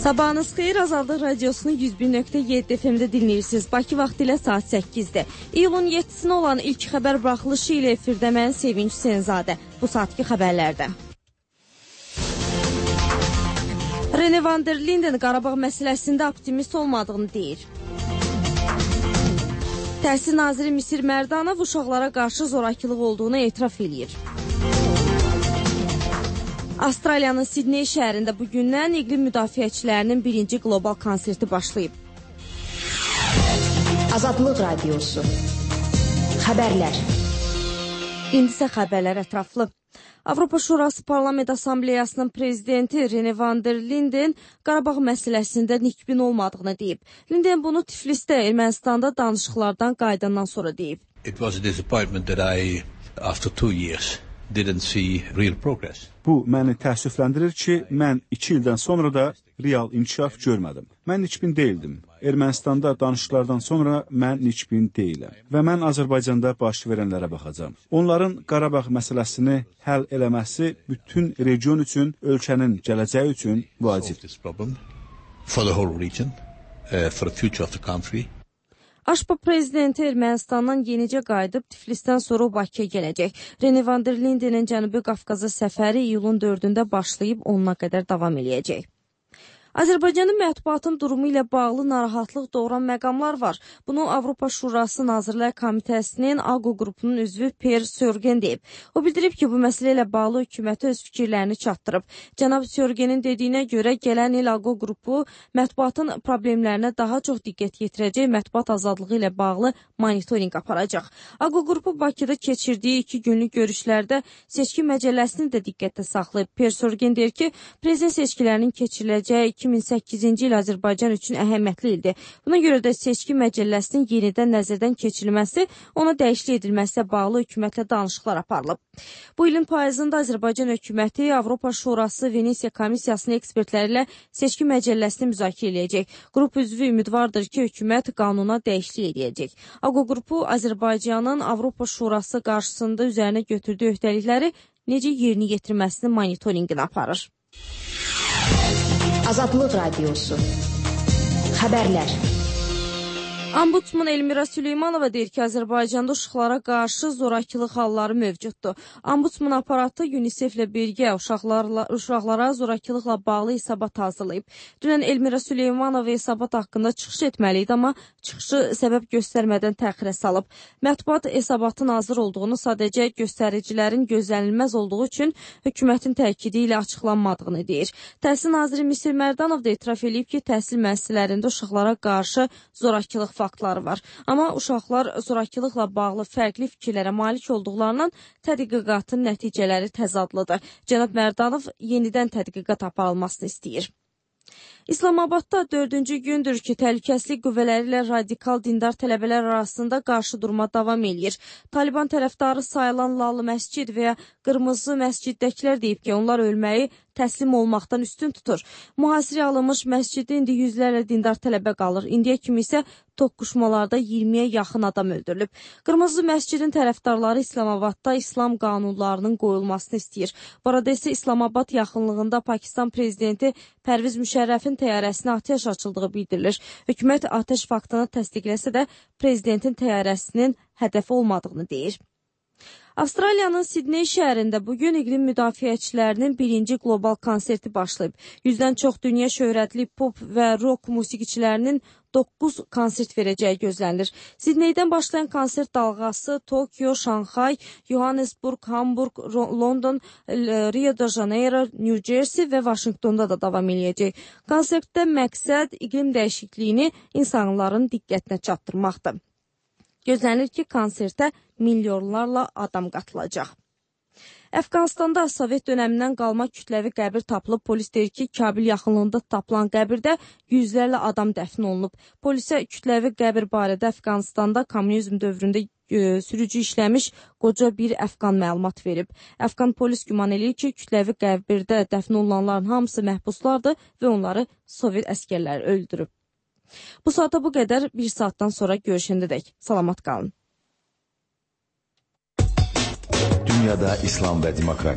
Sabahınız xeyir, Azadlıq Radiosunu 101.7 FM-də dinləyirsiniz. Bakı vaxtı ilə saat 8-dir. İyulun 7-sinə olan ilk xəbər buraxılışı ilə efirdə mən Sevinç Senzadə. Bu saatki xəbərlərdə. Rene van der Linden Qarabağ məsələsində optimist olmadığını deyir. Təhsil naziri Misir Mərdanov uşaqlara qarşı zorakılıq olduğunu etiraf edir. Avstraliyanın Sidney şəhərində bugündən iqlim müdafiəçilərinin birinci qlobal konserti başlayıb. Azadlıq Radiosu. Xəbərlər. İndisə xəbərlər ətraflı. Avropa Şurası Parlament Assambleyasının prezidenti Rene van der Linden Qarabağ məsələsində nikbin olmadığını deyib. Linden bunu Tiflisdə Ermənistanda danışıqlardan qayıdandan sonra deyib. It was a disappointment that I, after 2 years, didn't see real progress. Bu məni təəssüfləndirir ki, mən 2 ildən sonra da real inkişaf görmədim. Mən nikbin deyildim. Ermənistanda danışıqlardan sonra mən nikbin deyiləm. Və mən Azərbaycanda baş verənlərə baxacam. Onların Qarabağ məsələsini həll eləməsi bütün region üçün, ölkənin gələcəyi üçün vacibdir. For the whole region, for the future of the country. AŞPA prezidenti Ermənistandan yenicə qayıdıb Tiflisdən sonra Bakıya gələcək. Rene van der Lindenin Cənubi Qafqaza səfəri iyulun 4-də başlayıb 10-na qədər davam eləyəcək. Azərbaycanın mətbuatın durumu ilə bağlı narahatlıq doğuran məqamlar var. Bunu Avropa Şurası Nazirlər Komitəsinin AQO qrupunun üzvü Per Sörgen deyib. O bildirib ki, bu məsələ ilə bağlı hökumətə öz fikirlərini çatdırıb. Cənab Sörgenin dediyinə görə gələn il AQO qrupu mətbuatın problemlərinə daha çox diqqət yetirəcək, mətbuat azadlığı ilə bağlı monitorinq aparacaq. AQO qrupu Bakıda keçirdiyi 2 günlük görüşlərdə seçki məcəlləsini də diqqətdə saxlayıb. Per Sörgen deyir ki, prezident seçkilərinin keçiriləcəyi 2008-ci il Azərbaycan üçün əhəmiyyətli ildir. Buna görə də seçki məcəlləsinin yenidən nəzərdən keçirilməsi, ona dəyişiklik edilməsi bağlı hökumətlə danışıqlar aparılıb. Bu ilin payızında Azərbaycan hökuməti Avropa Şurası Venesiya Komissiyasının ekspertləri ilə seçki məcəlləsini müzakirə edəcək. Qrup üzvü ümidvardır ki, hökumət qanuna dəyişiklik edəcək. AQO qrupu Azərbaycanın Avropa Şurası qarşısında üzərinə götürdüyü öhdəlikləri necə yerinə yetirməsinin monitorinqini aparır. Azadlıq Radiosu. Xəbərlər. Ombudsman Elmira Süleymanova deyir ki, Azərbaycanda uşaqlara qarşı zorakılıq halları mövcuddur. Ombudsman aparatı UNICEF ilə birgə uşaqlara zorakılıqla bağlı hesabat hazırlayıb. Dünən Elmira Süleymanova hesabat haqqında çıxış etməli idi, amma çıxışı səbəb göstərmədən təxirə salıb. Mətbuat hesabatın hazır olduğunu, sadəcə göstəricilərin gözlənilməz olduğu üçün hökumətin təkidi ilə açıqlanmadığını deyir. Təhsil naziri Misir Mərdanov da etiraf edib ki, təhsil müəssisələrində uşaqlara qarşı zorakılıq faktları var. Amma uşaqlar zorakılıqla bağlı fərqli fikirlərə malik olduqlarından tədqiqatın nəticələri təzadlıdır. Cənab Mərdanov yenidən tədqiqat aparılmasını istəyir. İslamabadda 4-cü gündür ki, təhlükəsizlik qüvvələri ilə radikal dindar tələbələr arasında qarşı durma davam edir. Taliban tərəfdarı sayılan Lalı məscid və ya Qırmızı məsciddəkilər deyib ki, onlar ölməyi təslim olmaqdan üstün tutur. Mühasirəyə alınmış məsciddə indi yüzlərlə dindar tələbə qalır. İndiyə kimi isə toqquşmalarda 20-yə yaxın adam öldürülüb. Qırmızı məscidin tərəfdarları İslamabadda İslam qanunlarının qoyulmasını istəyir. Bu arada isə İslamabad yaxınlığında Pakistan prezidenti Pərviz Müşərrəfin təyyarəsinə atəş açıldığı bildirilir. Hökumət atəş faktını təsdiqləsə də prezidentin təyyarəsinin hədəfi olmadığını deyir. Avstraliyanın Sidney şəhərində bugün iqlim müdafiəçilərinin birinci qlobal konserti başlayıb. 100-dən çox dünya şöhrətli pop və rock musiqiçilərinin 9 konsert verəcəyi gözlənilir. Sidneydən başlayan konsert dalğası Tokyo, Şanxay, Johannesburg, Hamburg, London, Rio de Janeiro, New Jersey və Vaşinqtonda da davam eləyəcək. Konsertdə məqsəd iqlim dəyişikliyini insanların diqqətinə çatdırmaqdır. Gözlənilir ki, konsertə milyonlarla adam qatılacaq. Əfqanistanda Sovet dönəmindən qalma kütləvi qəbir tapılıb. Polis deyir ki, Kabil yaxınlığında tapılan qəbirdə yüzlərlə adam dəfn olunub. Polisə kütləvi qəbir barədə Əfqanistanda kommunizm dövründə sürücü işləmiş qoca bir Əfqan məlumat verib. Əfqan polis güman eləyir ki, kütləvi qəbirdə dəfn olunanların hamısı məhbuslardır və onları Sovet əskərləri öldürüb. Bu saata bu qədər, bir saatdan sonra görüşəndədək. Salamat qalın. Dünyada İslam və demokrat